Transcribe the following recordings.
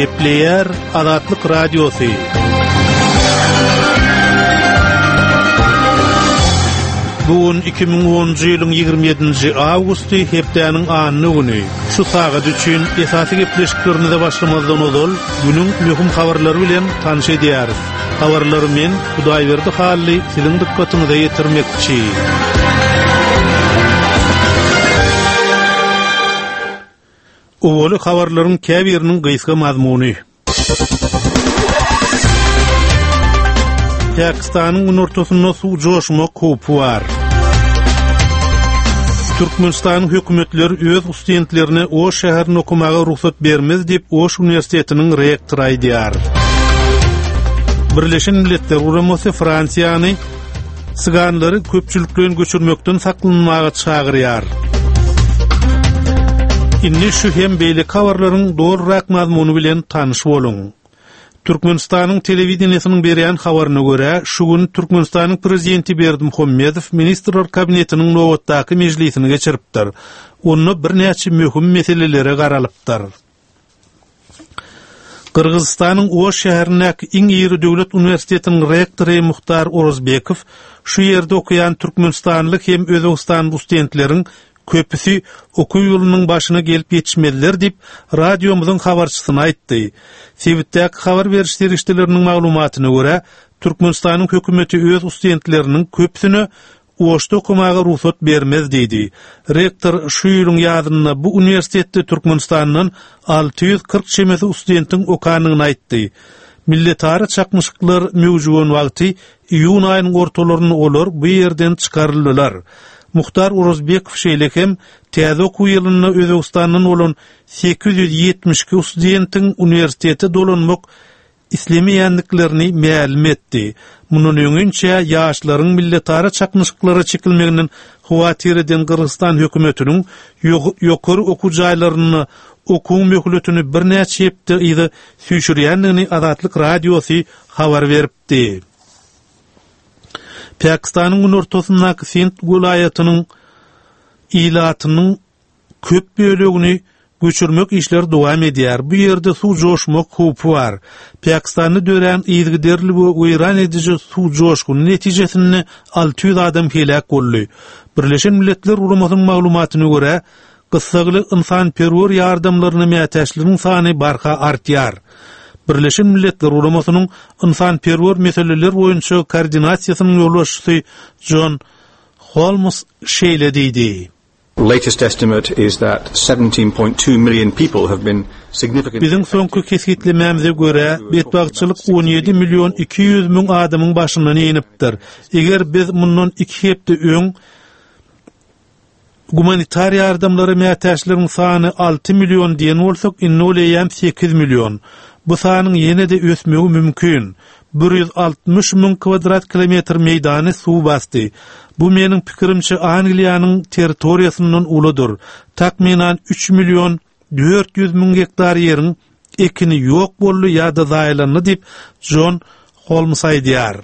Gepleýär Azatlyk Radiosy. Bu gün 2010-njy ýylyň 27-nji awgusty, hepdäniň anna güni. Şu sagat üçin esasy gepleşiklerimize başlamazdan ozal, günüň möhüm habarlary bilen tanyş edýäris. Habarlary men, Hudaýberdi Hally, siziň dykgatyňyza ýetirmekçi. Owaly habarlaryň käbiriniň gysga mazmuny. Pakistanyň günortasynda suw joşmak howpy bar. Türkmenistanyň hökümetleri öz studentlerine Oş şäherinde okamaga rugsat bermez diýip, Oş uniwersitetiniň rektory aýdýar. Birleşen Milletler Guramasy Fransiýany Syganlary köpçülikleýin göçürmekden saklanmaga çagyrýar. Indi şu hem beýleki habarlaryň dolurak mazmuny bilen tanyş boluň. Türkmenistanyň telewideniýesiniň berýän habaryna görä, şu gün Türkmenistanyň Prezidenti Berdimuhamedow Ministrler Kabinetiniň nobatdaky mejlisini geçiripdir. Onda birnäçe möhüm meselelere garalypdyr. Gyrgyzystanyň Oş şäherindäki iň iri döwlet uniwersitetiniň rektory Muhtar Orozbekow şu ýerde okaýan türkmenistanly hem özbegistanly studentleriň köpüsi okuw ýylynyň başyna gelip ýetişmezler diýip, radiomyzyň habarçysyna aýtdy. Sebitdäki habar beriş serişdeleriniň maglumatyna görä, Türkmenistanyň hökümeti öz studentleriniň köpüsine Oşda okamaga rugsat bermez diýdi. Rektor şu ýylyň ýazynda bu uniwersitetde Türkmenistandan 640 çemesi studentiň okanyny aýtdy. Milletara çaknyşyklar möwjügen wagty iýun aýynyň ortalarynda olar bu ýerden çykaryldylar. Muhtar Orazbekow şeýle hem täze okuw ýylynda Özbegistandan bolan 872 studentiň uniwersitete dolanmak islemeýändiklerini mälim etdi. Mundan öňinçä ýaşlaryň milletara çaknyşyklara çekilmeginden howatyr eden Gyrgyzystan hökümetiniň ýokary okuw jaýlarynda okuwyň möhletini birnäçe hepde yza süýşürýändigini Azatlyk Radiosy habar beripdi. Pakistanyň günortasyndaky Sindh welaýatynyň ilatynyň köp bölegini göçürmek işleri dowam edýär. Bu ýerde suw joşmak howpy bar. Pakistanda dörän yzygiderli we weýran ediji suw joşguny netijesinde 600 adam heläk boldy. Birleşen Milletler Guramasynyň maglumatyna görä, gyssagly ynsanperwer ýardamlaryna mätäçleriň sany barha artýar. Birleşen Milletler Guramasynyň ynsanperwer meseleler boýunça koordinasiýasynyň ýolbaşçysy Jon Holmes şeýle diýdi. Latest estimate is that 17.2 million people have been significantly Biziň soňky kesgitlemämize görä, betbagtçylyk 17 million 200 müň adamyň başyndan inipdir. Eger biz mundan iki hepde öň gumanitar ýardamlara mätäçleriň sany 6 million diýen bolsak, indi ol eýýäm 8 million. Bu sanyň ýene-de ösmegi mümkin. 160 müň kwadrat kilometr meýdany suw basdy. Bu meniň pikirimçe Angliýanyň territoriýasyndan uludyr. Takmynan 3 million 400 müň gektar ýeriň ekini ýok boldy ýa-da zaýalandy diýip, Jon Holms aýdýar.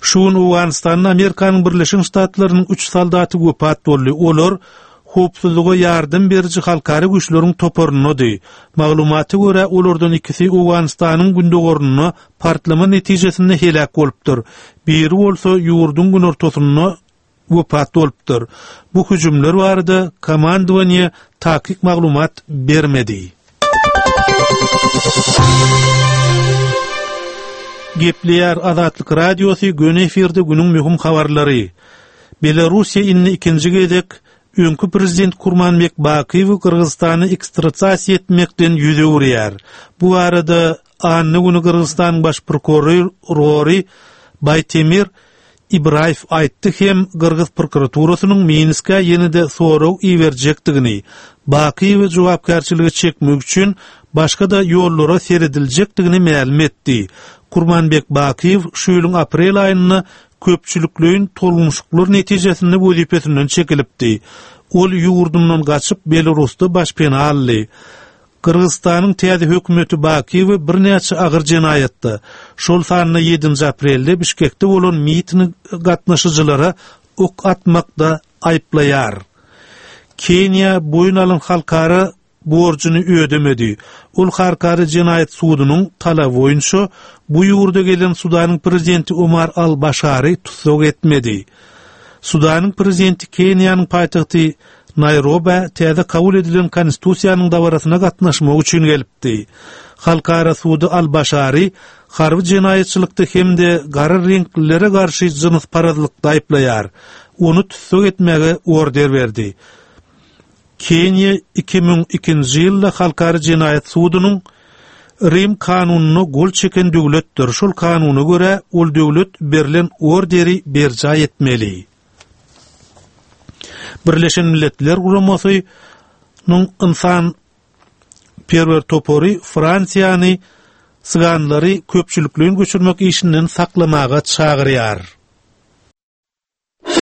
Şu gün Owganystanda Amerikanyň Birleşen Ştatlarynyň üç soldaty wepat boldy. Olar howpsuzlyga ýardam beriji halkara güýçleriň toparyndady. Maglumata görä, olardan ikisi Owganystanyň gündogarynda partlama netijesinde heläk bolupdyr. Biri bolsa ýurduň günortasynda wepat bolupdyr. Bu hüjümler barada komandowaniýe takyk maglumat bermedi. Gepleýär Azatlyk Radiosy, göni efirde günüň möhüm habarlary. Belarussiýa indi ikinji gezek öňki prezident Kurmanbek Bakyýewi Gyrgyzystana ekstratasiýa etmekden ýüz öwürýär. Bu barada anna güni Gyrgyzystanyň baş prokurory Baýtemir Ibraýew aýtdy hem gyrgyz prokuraturasynyň Minskä ýene-de sorag iberjekdigini, Bakyýewi jogapkärçilige çekmek üçin başga-da ýollara serediljekdigini mälim etdi. Kurmanbek Bakyýew şu ýylyň aprel aýynda köpçülikleýin tolgunyşyklar netijesinde wezipesinden çekilipdi. Ol ýurdundan gaçyp, Belarusda başpena aldy. Gyrgyzystanyň täze hökümeti Bakyýewi birnäçe agyr jenaýatda, şol sanda ýedinji aprelde Bişkekde bolan mitinge gatnaşyjylara ok atmakda aýyplaýar. Keniýa boýun alan halkara. borjuny ödemedi. Ol Halkara jenaýat sudunyň talaby boýunça bu ýurda gelen Sudanyň prezidenti Omar al-Başary tussag etmedi. Sudanyň prezidenti Keniýanyň paýtagty Naýrobä täze kabul edilen konstitusiýanyň dabarasyna gatnaşmak üçin gelipdi. Halkara sudy al-Başary harby jenaýatçylykda hem-de gara reňklilere garşy jynsparazlykda aýyplaýar. Ony tussag etmäge order berdi. Keniýa 2002-nji ýylda Halkara jenaýat sudunyň Rim kanunyna gol çeken döwletdir. Şol kanuna görä, ol döwlet berlen orderi berjaý etmeli. Birleşen Milletler Guramasy nyň ynsan perwer topary Fransiýany syganlary köpçülikleýin göçürmek işinden saklamaga çagyrýar.